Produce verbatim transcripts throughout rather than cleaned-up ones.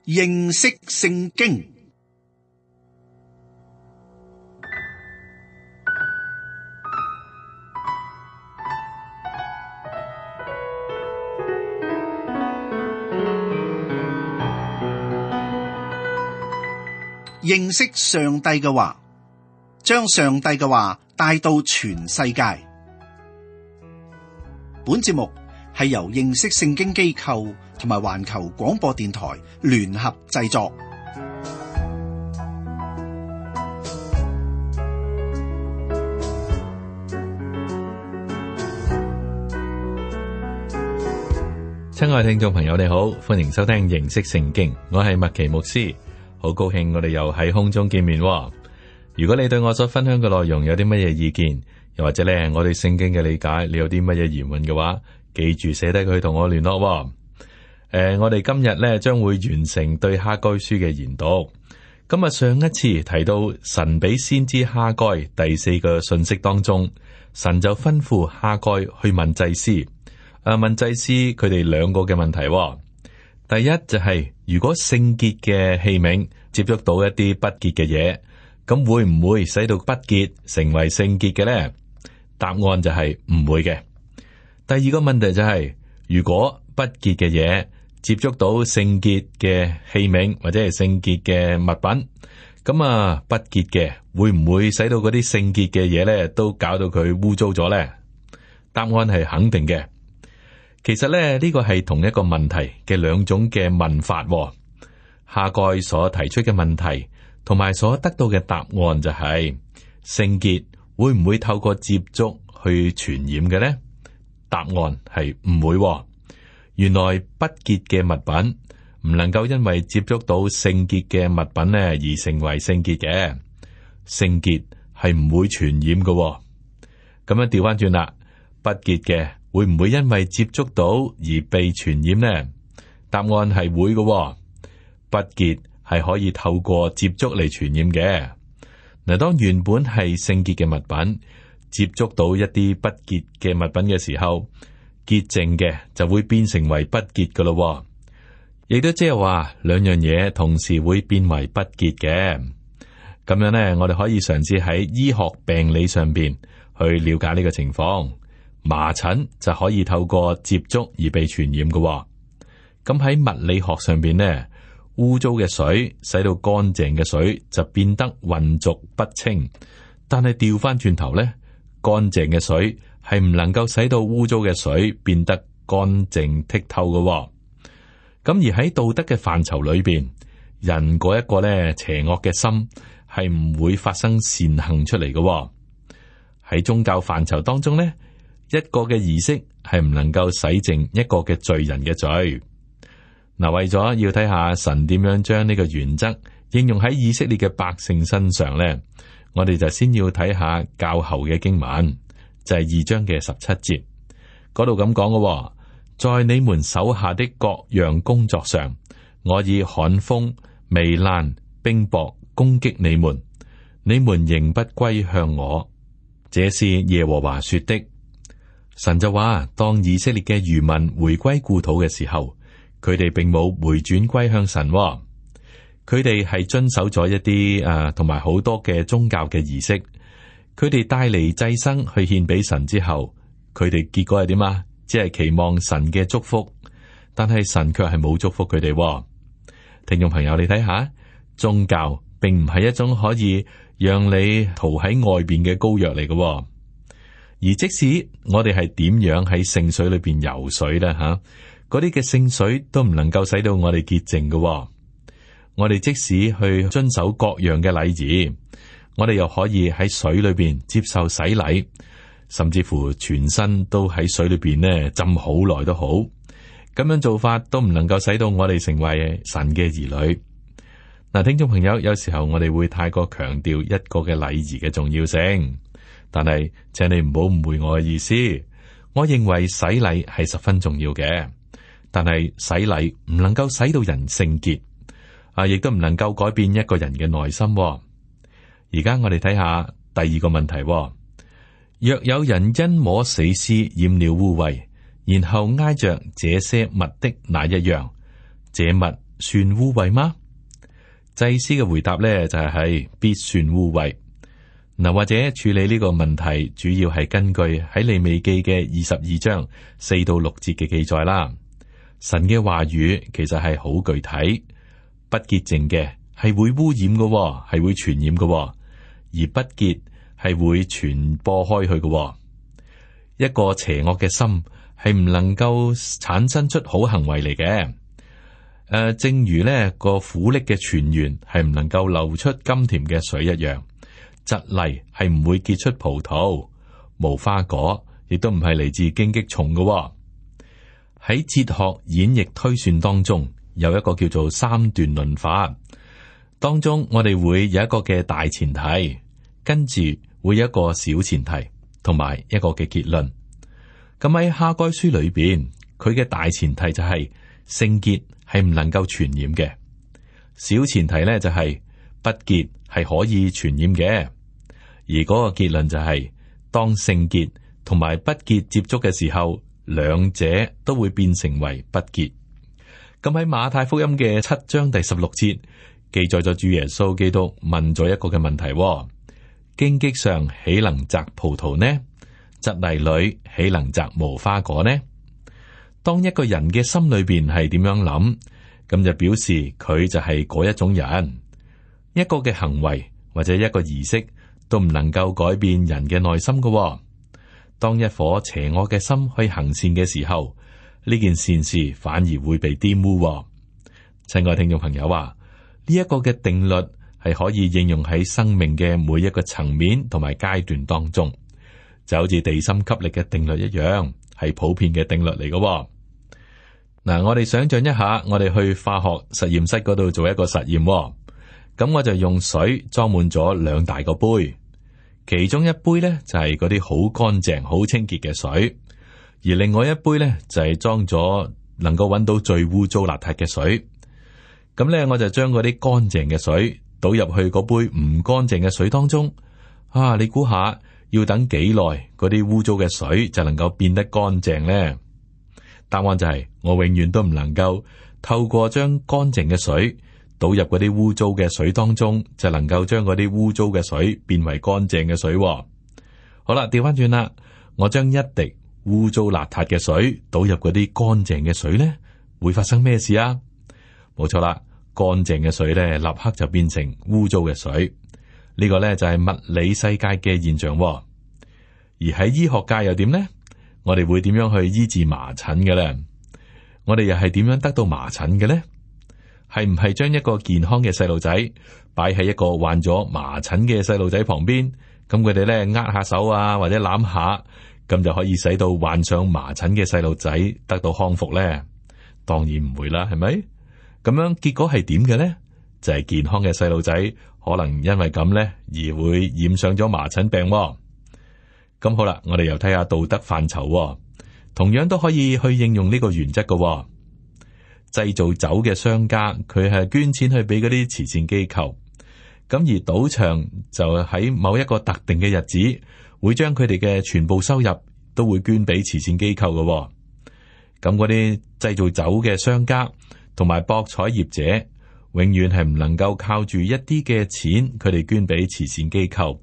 認識聖經。認識上帝嘅話，將上帝嘅話帶到全世界。本節目係由認識聖經機構同埋環球廣播電台聯合製作。親愛聽眾朋友，你好，歡迎收聽認識聖經，我係麥奇牧師，好高興我哋又喺空中見面。如果你對我所分享嘅內容有啲乜嘢意見，又或者咧我對聖經嘅理解，你有啲乜嘢疑問嘅話，記住寫低佢同我聯絡。誒、呃，我哋今日咧將會完成對哈該書嘅研讀。咁啊，上一次提到神俾先知哈該第四個信息當中，神就吩咐哈該去問祭司，誒、啊，問祭司佢哋兩個嘅問題。第一就係、是、如果聖潔嘅器皿接觸到一啲不潔嘅嘢，咁會唔會使到不潔成為聖潔嘅咧？答案就係唔會嘅。第二個問題就係、是，如果不潔嘅嘢接觸到聖潔嘅器皿或者係聖潔嘅物品，咁啊不潔嘅會唔會使到嗰啲聖潔嘅嘢咧都搞到佢污糟咗咧？答案係肯定嘅。其實咧呢個係同一個問題嘅兩種嘅問法。哈該所提出嘅問題同埋所得到嘅答案就係、是、聖潔會唔會透過接觸去傳染嘅呢？答案係唔會。原來不潔嘅物品唔能夠因為接觸到聖潔嘅物品呢而成為聖潔嘅。聖潔係唔會傳染嘅。咁樣調翻轉啦，不潔嘅會唔會因為接觸到而被傳染呢？答案係會嘅。不潔係可以透過接觸嚟傳染嘅。嗱，當原本係聖潔嘅物品接觸到一啲不潔嘅物品嘅時候，潔淨嘅就會變成為不潔噶咯。亦都即係話兩樣嘢同時會變為不潔嘅。咁樣呢，我哋可以嘗試喺醫學病理上邊去了解呢個情況。麻疹就可以透過接觸而被傳染嘅。咁喺物理學上邊呢，污糟嘅水使到乾淨嘅水就變得渾濁不清，但係調翻轉頭咧，乾淨嘅水係唔能夠使到污糟嘅水變得乾淨剔透嘅。咁而喺道德嘅範疇裏邊，人嗰一個咧邪惡嘅心係唔會發生善行出嚟嘅。喺宗教範疇當中咧，一個嘅儀式係唔能夠洗淨一個嘅罪人嘅罪。嗱，為咗要睇下神點樣將呢個原則應用喺以色列嘅百姓身上咧，我哋就先要睇下較後嘅經文，就係、是、二章嘅十七節嗰度咁講嘅。在你們手下的各樣工作上，我以旱風、糜爛、冰雹攻擊你們，你們仍不歸向我。這是耶和華說的。神就話，當以色列嘅餘民回歸故土嘅時候，佢哋並冇回轉歸向神、哦，佢哋係遵守咗一啲誒，同埋好多嘅宗教嘅儀式。佢哋帶嚟祭牲去獻俾神之後，佢哋結果係點啊？只係期望神嘅祝福，但係神卻係冇祝福佢哋、哦。聽眾朋友，你睇下，宗教並唔係一種可以讓你逃喺外邊嘅膏藥嚟嘅、哦。而即使我哋係點樣喺聖水裏邊游水咧，吓、啊。嗰啲嘅聖水都唔能夠使到我哋潔淨嘅、哦。我哋即使去遵守各樣嘅禮儀，我哋又可以喺水裏邊接受洗禮，甚至乎全身都喺水裏邊呢浸好耐都好。咁樣做法都唔能夠使到我哋成為神嘅兒女。嗱，聽眾朋友，有時候我哋會太過強調一個嘅禮儀嘅重要性，但係請你唔好誤會我嘅意思。我認為洗禮係十分重要嘅。但係洗禮唔能夠使到人聖潔，啊，亦都唔能夠改變一個人嘅內心、哦。而家我哋睇下第二個問題、哦：若有人因摸死屍染了污穢，然後挨着這些物的那一樣，這物算污穢嗎？祭司嘅回答咧就係、係、必算污穢。嗱，或者處理呢個問題，主要係根據喺利未記嘅二十二章四到六節嘅記載啦。神嘅話語其實係好具體，不潔淨嘅係會污染嘅，係會傳染嘅，而不潔係會傳播開去嘅。一個邪惡嘅心係唔能夠產生出好行為嚟嘅。誒、呃，正如呢個苦澀嘅泉源係唔能夠流出甘甜嘅水一樣。蒺藜係唔會結出葡萄，無花果亦都唔係嚟自荊棘叢嘅。喺哲學演繹推算當中，有一個叫做三段論法，當中我哋會有一個嘅大前提，跟住會有一個小前提，同埋一個嘅結論。咁喺哈該書裏邊，佢嘅大前提就係聖潔係唔能夠傳染嘅，小前提咧就係不潔係可以傳染嘅，而嗰個結論就係、是、當聖潔同埋不潔接觸嘅時候，兩者都會變成為不潔。咁喺馬太福音嘅七章第十六節記載咗主耶穌基督問咗一個嘅問題：荊棘上豈能摘葡萄呢？蒺藜裏豈能摘無花果呢？當一個人嘅心裏邊係點樣諗，咁就表示佢就係嗰一種人。一個嘅行為或者一個儀式都唔能夠改變人嘅內心嘅。當一顆邪惡嘅心去行善嘅時候，呢件善事反而會被玷污。親愛聽眾朋友話，呢一個嘅定律係可以應用喺生命嘅每一個層面同埋階段當中，就好似地心吸力嘅定律一樣，係普遍嘅定律嚟嘅。嗱，我哋想象一下，我哋去化學實驗室嗰度做一個實驗。咁我就用水裝滿咗兩大個杯，其中一杯呢就係嗰啲好乾淨、好清潔嘅水，而另外一杯呢就係裝咗能夠揾到最污糟邋遢嘅水。咁呢，我就將嗰啲乾淨嘅水倒入去嗰杯唔乾淨嘅水當中。啊，你估下要等幾耐嗰啲污糟嘅水就能夠變得乾淨呢？答案就係我永遠都唔能夠透過將乾淨嘅水倒入嗰啲污糟嘅水當中，就能夠將嗰啲污糟嘅水變為乾淨嘅水。好啦，調翻轉啦，我將一滴污糟邋遢嘅水倒入嗰啲乾淨嘅水咧，會發生咩事啊？冇錯啦，乾淨嘅水咧，立刻就變成污糟嘅水。呢個咧就係物理世界嘅現象。而喺醫學界又點呢？我哋會點樣去醫治麻疹嘅咧？我哋又係點樣得到麻疹嘅咧？係唔係將一個健康嘅細路仔擺喺一個患咗麻疹嘅細路仔旁邊，咁佢哋咧握下手啊，或者攬下，咁就可以使到患上麻疹嘅細路仔得到康復咧？當然唔會啦，係咪？咁樣結果係點嘅咧？就係、是、健康嘅細路仔可能因為咁咧而會染上咗麻疹病。咁好啦，我哋又睇下道德範疇，同樣都可以去應用呢個原則嘅。製造酒嘅商家，佢係捐錢去俾嗰啲慈善機構，咁而賭場就喺某一個特定嘅日子，會將佢哋嘅全部收入都會捐俾慈善機構嘅。咁嗰啲製造酒嘅商家同埋博彩業者，永遠係唔能夠靠住一啲嘅錢，佢哋捐俾慈善機構，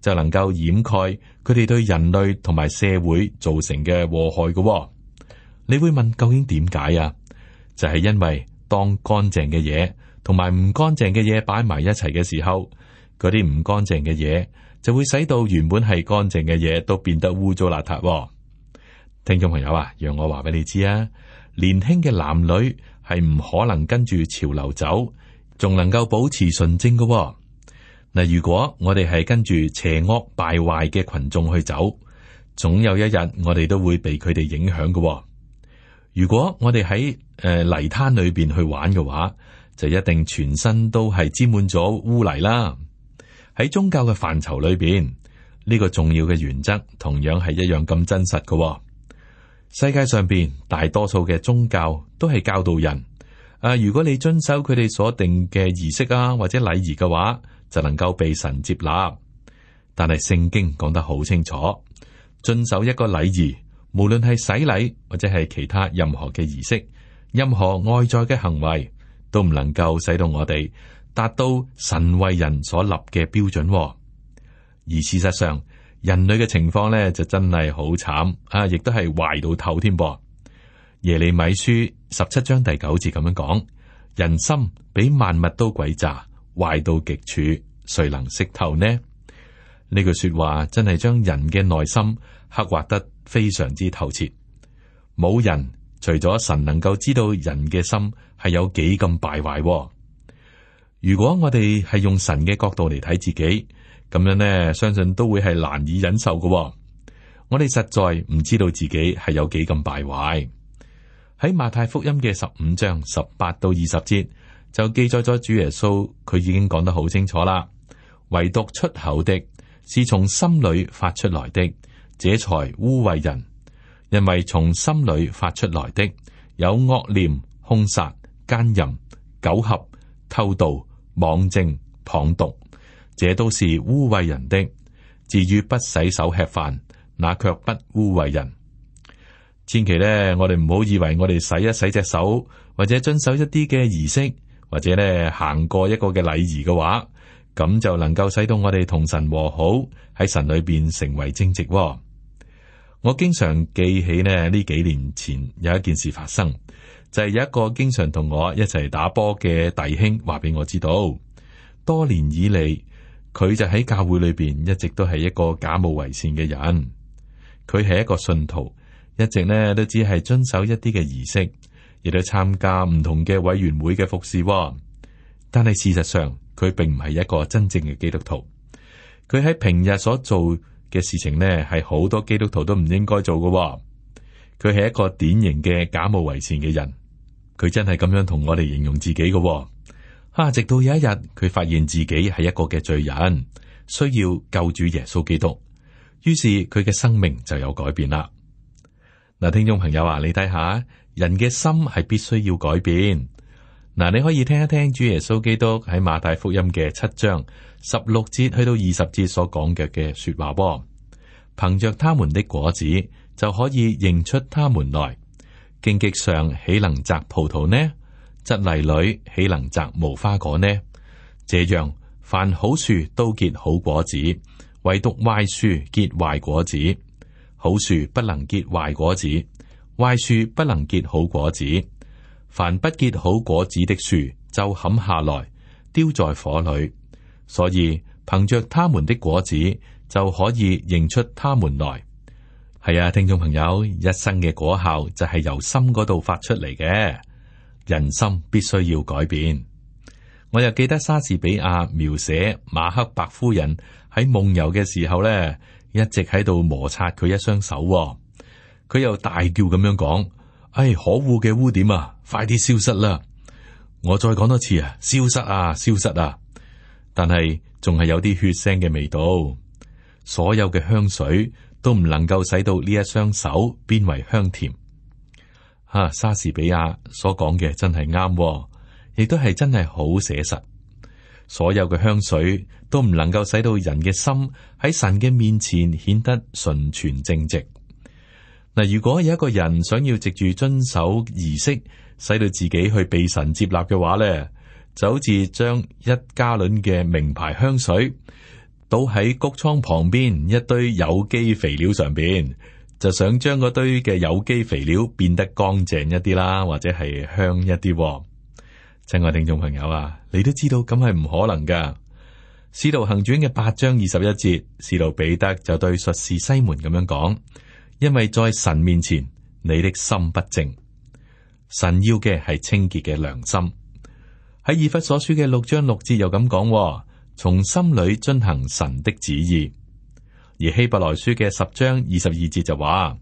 就能夠掩蓋佢哋對人類同埋社會造成嘅禍害嘅。你會問究竟點解啊？就係因為當乾淨嘅嘢同埋唔乾淨嘅嘢擺埋一齊嘅時候，嗰啲唔乾淨嘅嘢就會使到原本係乾淨嘅嘢都變得污糟邋遢。聽眾朋友啊，讓我話俾你知啊，年輕嘅男女係唔可能跟住潮流走，仲能夠保持純正嘅。嗱，如果我哋係跟住邪惡敗壞嘅群眾去走，總有一日我哋都會被佢哋影響嘅。如果我哋喺誒泥灘裏邊去玩嘅話，就一定全身都係沾滿咗污泥啦。喺宗教嘅範疇裏邊，呢個重要嘅原則同樣係一樣咁真實嘅。世界上邊大多數嘅宗教都係教導人，啊，如果你遵守佢哋所定嘅儀式啊或者禮儀嘅話，就能夠被神接納。但係聖經講得好清楚，遵守一個禮儀，無論係洗禮或者係其他任何嘅儀式，任何外在嘅行為，都唔能夠使到我哋達到神為人所立嘅標準。而事實上，人類嘅情況咧就真係好慘啊，亦都係壞到透添噃。耶利米書十七章第九節咁樣講：人心比萬物都詭詐，壞到極處，誰能識透呢？呢句說話真係將人嘅內心刻畫得非常之透徹。冇人除咗神能夠知道人嘅心係有幾咁敗壞。如果我哋係用神嘅角度嚟睇自己，咁樣呢，相信都會係難以忍受嘅。我哋實在唔知道自己係有幾咁敗壞。喺馬太福音嘅十五章十八到二十節就記載咗主耶穌，佢已經講得好清楚啦。唯獨出口的是從心裏發出來的，這才污穢人。因為從心裏發出來的有惡念、兇殺、奸淫、苟合、偷盜、妄證、謗讟，這都是污穢人的。至於不洗手吃飯，那卻不污穢人。千祈咧，我哋唔好以為我哋洗一洗隻手，或者遵守一啲嘅儀式，或者咧行過一個嘅禮儀嘅話，咁就能夠使到我哋同神和好，喺神裏邊成為正直。我經常記起呢，呢幾年前有一件事發生，就係有一個經常同我一齊打波嘅弟兄話俾我知道，多年以嚟佢就喺教會裏邊一直都係一個假冒為善嘅人。佢係一個信徒，一直呢都只係遵守一啲嘅儀式，亦都參加唔同嘅委員會嘅服侍。但係事實上，佢並唔係一個真正嘅基督徒。佢喺平日所做嘅事情呢，係好多基督徒都唔應該做嘅。佢係一個典型嘅假冒為善嘅人。佢真係咁樣同我哋形容自己嘅。啊，直到有一日，佢發現自己係一個嘅罪人，需要救主耶穌基督。於是佢嘅生命就有改變啦。嗱，聽眾朋友啊，你睇下，人嘅心係必須要改變。嗱，你可以聽一聽主耶穌基督喺馬太福音嘅七章十六節去到二十節所講嘅嘅說話噃。憑着他們的果子就可以認出他們來。荊棘上豈能摘葡萄呢？蒺藜裏豈能摘無花果呢？這樣，凡好樹都結好果子，唯獨壞樹結壞果子。好樹不能結壞果子，壞樹不能結好果子。凡不結好果子的樹，就砍下來，丟在火裏。所以憑着他們的果子，就可以認出他們來。係啊，聽眾朋友，一生嘅果效就係由心嗰度發出嚟嘅。人心必須要改變。我又記得莎士比亞描寫馬克白夫人喺夢遊嘅時候咧，一直喺度摩擦佢一雙手。佢又大叫咁樣講：哎，可惡嘅污點啊，快啲消失啦！我再講多次啊，消失啊，消失啊！但係仲係有啲血腥嘅味道。所有嘅香水都唔能夠使到呢一雙手變為香甜。啊，莎士比亞所講嘅真係啱，亦都係真係好寫實。所有嘅香水都唔能夠使到人嘅心喺神嘅面前顯得純全正直。嗱，如果有一個人想要藉住遵守儀式，使到自己去被神接納嘅話咧，就好似將一加侖嘅名牌香水倒喺穀倉旁邊一堆有機肥料上邊，就想將嗰堆嘅有機肥料變得乾淨一啲啦，或者係香一啲。親愛聽眾朋友啊，你都知道咁係唔可能噶。使徒行傳嘅八章二十一節，使徒彼得就對術士西門咁樣講：因為在神面前，你的心不正。神要嘅係清潔嘅良心。喺以弗所書嘅六章六節又咁講：從心裏遵行神的旨意。而希伯來書嘅十章二十二節就話：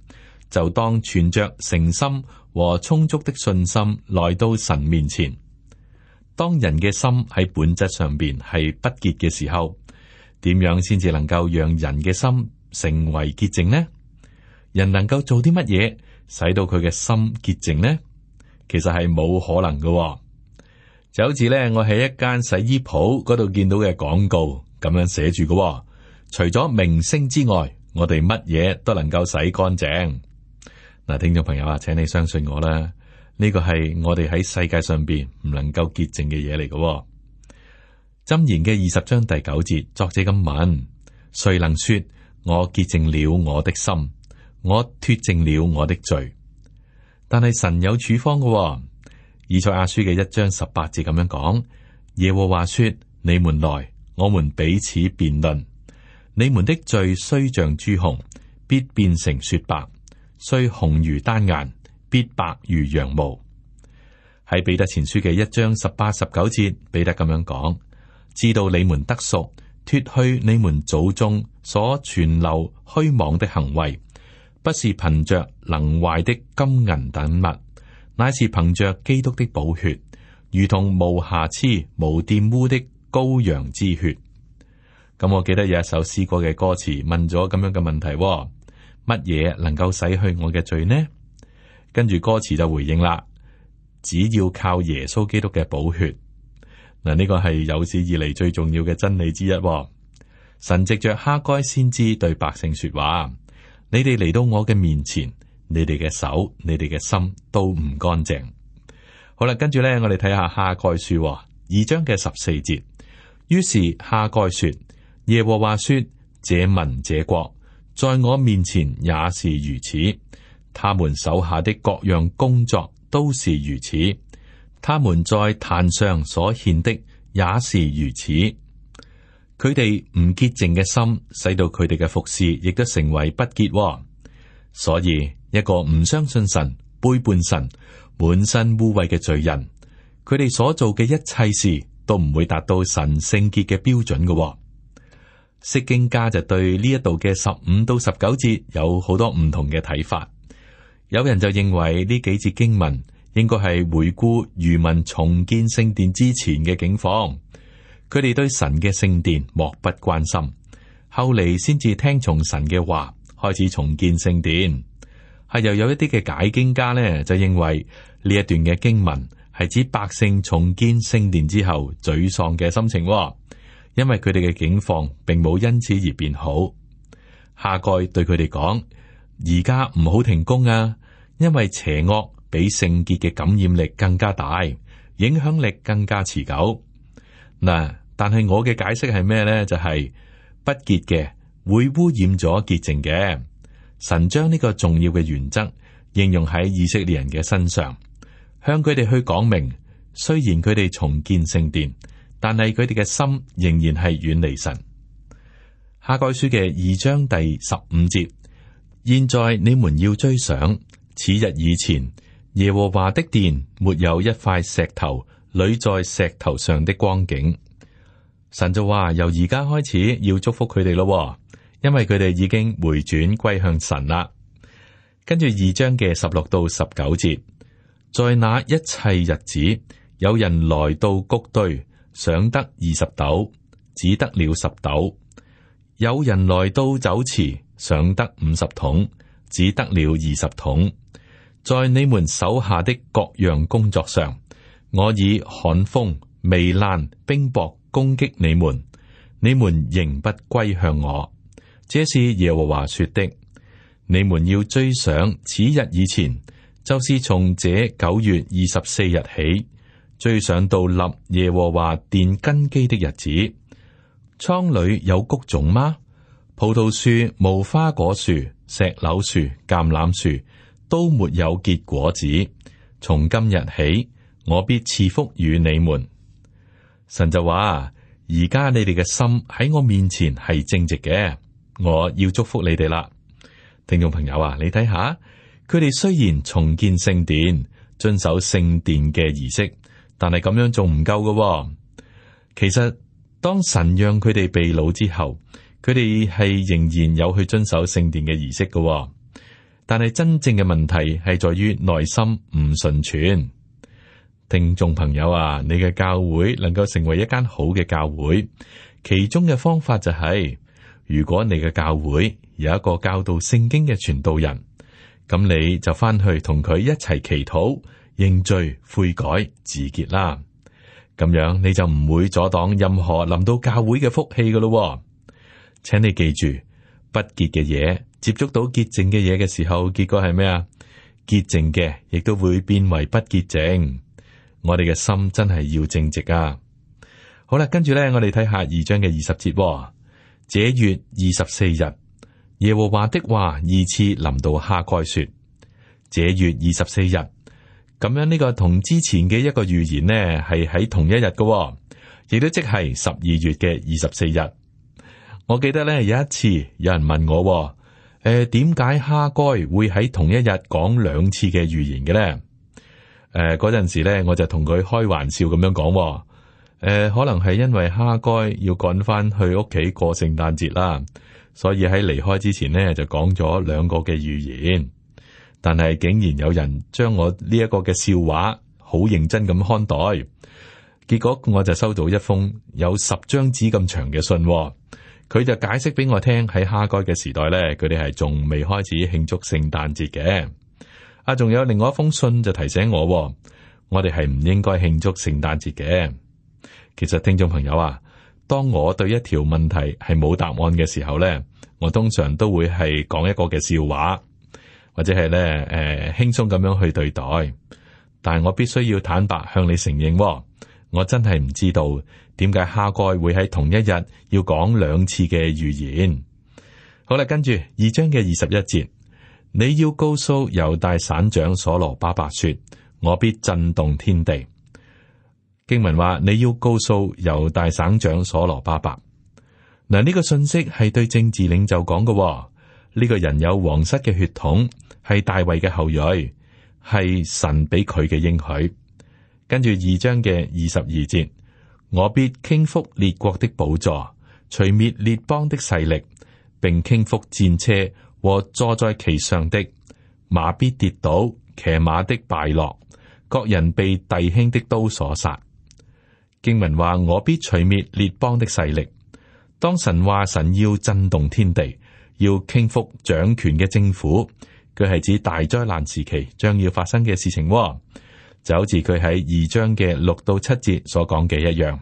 就當存着誠心和充足的信心來到神面前。當人嘅心喺本質上邊係不潔嘅時候，點樣先至能夠讓人嘅心成為潔淨呢？人能夠做啲乜嘢使到佢嘅心潔淨呢？其實係冇可能嘅喎。就好似咧，我喺一間洗衣鋪嗰度見到嘅廣告咁樣寫住嘅喎，除咗明星之外，我哋乜嘢都能夠洗乾淨。嗱，聽眾朋友啊，請你相信我啦，呢個係我哋喺世界上邊唔能夠潔淨嘅嘢嚟嘅。箴言嘅二十章第九節，作者咁問：誰能說我潔淨了我的心，我脫淨了我的罪？但係神有處方嘅。以賽亞書嘅一章十八節咁樣講：耶和華說，你們來，我們彼此辯論。你們的罪雖像朱紅，必變成雪白；雖紅如丹顏，必白如羊毛。喺彼得前書嘅一章十八、十九節，彼得咁樣講：知道你們得贖，脫去你們祖宗所存留虛妄的行為，不是憑着能壞的金銀等物，乃是憑着基督的寶血，如同無瑕疵、無玷污的羔羊之血。咁我記得有一首詩歌嘅歌詞問咗咁樣嘅問題：乜嘢能夠洗去我嘅罪呢？跟住歌詞就回應啦：只要靠耶穌基督嘅寶血。嗱，呢個係有史以嚟最重要嘅真理之一。神藉着哈該先知對百姓說話：你哋嚟到我嘅面前，你哋嘅手、你哋嘅心都唔乾淨。好啦，跟住咧，我哋睇下哈該書二章嘅十四節。於是哈該說：耶和華說，這民這國在我面前也是如此，他們手下的各樣工作都是如此，他們在壇上所獻的也是如此。佢哋唔潔淨嘅心，使到佢哋嘅服侍亦都成為不潔。所以一個唔相信神、背叛神、滿身污穢嘅罪人，佢哋所做嘅一切事都唔會達到神聖潔嘅標準嘅。釋經家就對呢一度嘅十五到十九節有好多唔同嘅睇法。有人就認為呢幾節經文應該係回顧餘民重建聖殿之前嘅境況，佢哋對神嘅聖殿漠不關心，後嚟先至聽從神嘅話，開始重建聖殿。係又有一啲嘅解經家呢，就認為呢一段嘅經文係指百姓重建聖殿之後沮喪嘅心情。因為佢哋嘅境況並冇因此而變好。哈該對佢哋講：而家唔好停工啊，因為邪惡比聖潔嘅感染力更加大，影響力更加持久。嗱，但係我嘅解釋係咩呢？就係、是、不潔嘅會污染咗潔淨嘅。神將呢個重要嘅原則應用喺以色列人嘅身上，向佢哋去講明，雖然佢哋重建聖殿，但係佢哋嘅心仍然係遠離神。哈該書嘅二章第十五節：現在你們要追想，此日以前，耶和華的殿沒有一塊石頭壘在石頭上的光景。神就話：由而家開始要祝福佢哋咯，因為佢哋已經回轉歸向神啦。跟住二章嘅十六到十九節：在那一切日子，有人來到谷堆，想得二十斗，只得了十斗；有人來到酒池，想得五十桶，只得了二十桶。在你們手下的各樣工作上，我以旱風、糜爛、冰雹攻擊你們，你們仍不歸向我。這是耶和華說的。你們要追想此日以前，就是從這九月二十四日起，追想到立耶和華殿根基的日子。倉裏有谷種嗎？葡萄樹、無花果樹、石榴樹、橄欖樹都沒有結果子。從今日起，我必賜福與你們。神就話：而家你哋嘅心喺我面前係正直嘅，我要祝福你哋啦。聽眾朋友啊，你睇下，佢哋雖然重建聖殿，遵守聖殿嘅儀式，但係咁樣仲唔夠㗎。其實當神讓佢哋被擄之後，佢哋係仍然有去遵守聖殿嘅儀式㗎。但係真正嘅問題係在於內心唔順全。聽眾朋友啊，你嘅教會能夠成為一間好嘅教會，其中嘅方法就係，如果你嘅教會有一個教導聖經嘅傳道人，咁你就翻去同佢一齊祈禱、認罪、悔改、自潔啦。咁樣你就唔會阻擋任何臨到教會嘅福氣噶咯。請你記住，不潔嘅嘢接觸到潔淨嘅嘢嘅時候，結果係咩啊？潔淨嘅亦都會變為不潔淨。我哋嘅心真係要正直啊！好啦，跟住咧，我哋睇下二章嘅二十節、哦。這月二十四日，耶和華的話二次臨到哈該說：這月二十四日，咁樣呢個同之前嘅一個預言呢係喺同一日嘅、哦，亦都即係十二月嘅二十四日。我記得咧有一次有人問我、哦，誒、呃，點解哈該會喺同一日講兩次嘅預言嘅咧？誒、呃，嗰陣時咧我就同佢開玩笑咁樣講、哦。誒、呃，可能係因為哈該要趕翻去屋企過聖誕節啦，所以喺離開之前呢，就講咗兩個嘅預言。但係竟然有人將我呢一個嘅笑話好認真咁看待，結果我就收到一封有十張紙咁長嘅信、哦，佢就解釋俾我聽喺哈該嘅時代呢，佢哋係仲未開始慶祝聖誕節嘅。啊，仲有另外一封信就提醒我、哦，我哋係唔應該慶祝聖誕節嘅。其實聽眾朋友啊，當我對一條問題係冇答案嘅時候咧，我通常都會係講一個嘅笑話，或者係咧誒輕鬆咁樣去對待。但係我必須要坦白向你承認、哦，我真係唔知道點解哈該會喺同一日要講兩次嘅預言。好啦，跟住二章嘅二十一節，你要告訴猶大省長所羅巴伯說，我必震動天地。經文話你要告訴猶大省長所羅巴伯，嗱，呢個信息係對政治領袖講嘅、哦。呢、這個人有皇室嘅血統，係大衛嘅後裔，係神俾佢嘅應許。跟住二章嘅二十二節，我必傾覆列國的寶座，除滅列邦的勢力，並傾覆戰車和坐在其上的，馬必跌倒，騎馬的敗落，各人被弟兄的刀所殺。經文話我必除滅列邦的勢力。當神話神要震動天地，要傾覆掌權嘅政府，佢係指大災難時期將要發生嘅事情、哦，就好似佢喺二章嘅六到七節所講嘅一樣。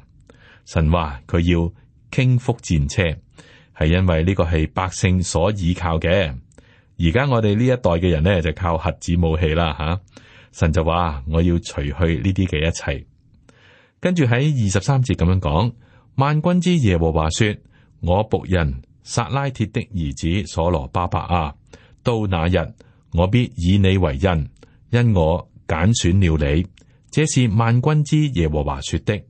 神話佢要傾覆戰車，係因為呢個係百姓所倚靠嘅。而家我哋呢一代嘅人呢，就靠核子武器啦吓、啊。神就話我要除去呢啲嘅一切。跟住喺二十三節咁樣講，萬軍之耶和華說：我僕人撒拉鐵的兒子所羅巴伯啊，到那日我必以你為印，因我揀選了你。這是萬軍之耶和華說的。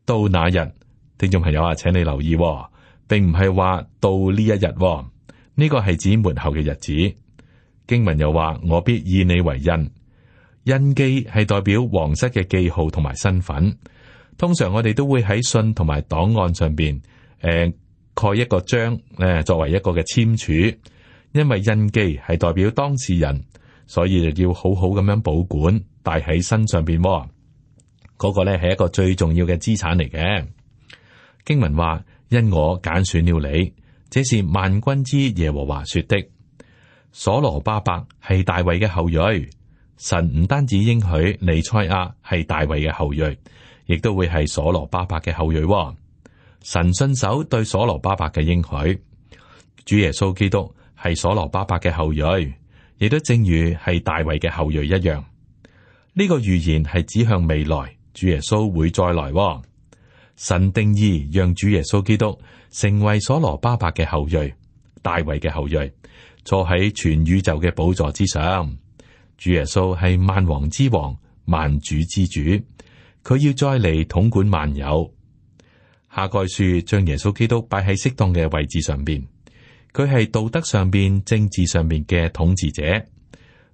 到那日，聽眾朋友啊，請你留意、哦，並唔係話到呢一日、哦，呢、這個係指末後嘅日子。經文又話我必以你為印。印記係代表皇室嘅記號同埋身份，通常我哋都會喺信同埋檔案上邊，誒、呃、蓋一個章，誒、呃、作為一個嘅簽署。因為印記係代表當事人，所以就要好好咁樣保管，帶喺身上邊。嗰、那個咧係一個最重要嘅資產嚟嘅。經文話：因我揀選了你，這是萬軍之耶和華說的。所羅巴伯係大衛嘅後裔。神唔單止應許彌賽亞係大衛嘅後裔，亦都會係所羅巴伯嘅後裔。神信守對所羅巴伯嘅應許，主耶穌基督係所羅巴伯嘅後裔，亦都正如係大衛嘅後裔一樣。呢、這個預言係指向未來，主耶穌會再來。神定義讓主耶穌基督成為所羅巴伯嘅後裔，大衛嘅後裔，坐喺全宇宙嘅寶座之上。主耶穌係萬王之王、萬主之主，佢要再嚟統管萬有。哈該書將耶穌基督擺喺適當嘅位置上邊，佢係道德上邊、政治上邊嘅統治者。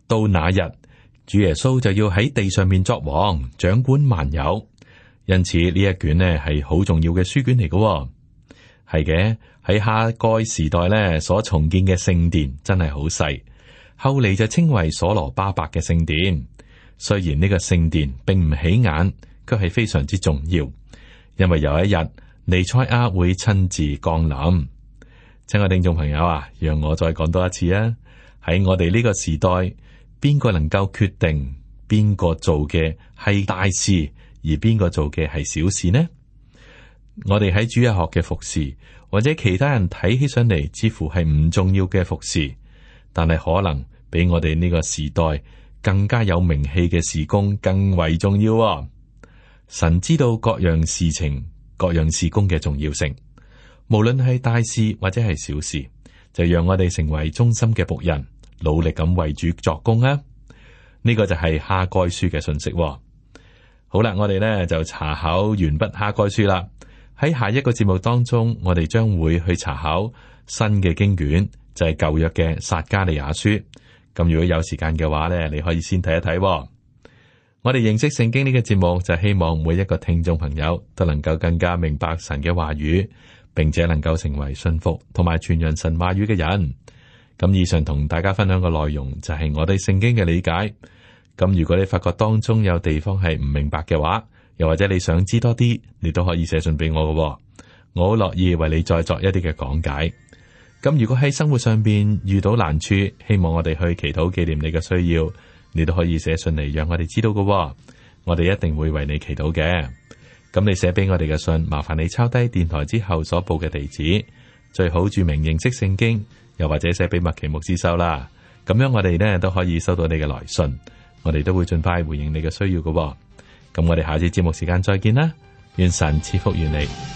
到那日，主耶穌就要喺地上面作王，掌管萬有。因此呢一卷呢係好重要嘅書卷嚟嘅。係嘅，喺哈該時代咧所重建嘅聖殿真係好細。後嚟就稱為所羅巴伯嘅聖殿。雖然呢個聖殿並唔起眼，卻係非常之重要，因為有一日彌賽亞會親自降臨。親愛聽眾朋友啊，讓我再講多一次啊！喺我哋呢個時代，邊個能夠決定邊個做嘅係大事，而邊個做嘅係小事呢？我哋喺主日學嘅服侍，或者其他人睇起上嚟似乎係唔重要嘅服侍。但係可能比我哋呢個時代更加有名氣嘅事工更為重要喎。神知道各樣事情、各樣事工嘅重要性，無論係大事或者係小事，就讓我哋成為忠心嘅僕人，努力咁為主作工啊！呢個就係哈該書嘅信息喎。好啦，我哋呢就查考完畢哈該書啦。喺下一個節目當中，我哋將會去查考新嘅經卷，就係舊約嘅撒迦利亞書。咁如果有時間嘅話呢，你可以先睇一睇喎。我哋認識聖經呢個節目，就希望每一個聽眾朋友都能夠更加明白神嘅話語，並且能夠成為信服同埋傳揚神話語嘅人。咁以上同大家分享嘅內容就係我對聖經嘅理解。咁如果你發覺當中有地方係唔明白嘅話，又或者你想知多啲，你都可以寫信俾我嘅喎。我好樂意為你再作一啲嘅講解。咁如果喺生活上邊遇到難處，希望我哋去祈禱紀念你嘅需要，你都可以寫信嚟讓我哋知道嘅喎。我哋一定會為你祈禱嘅。咁你寫俾我哋嘅信，麻煩你抄低電台之後所報嘅地址，最好注明認識聖經，又或者寫俾麥奇牧師收啦。咁樣我哋呢都可以收到你嘅來信，我哋都會盡快回應你嘅需要嘅喎。咁我哋下次節目時間再見啦，願神賜福於你。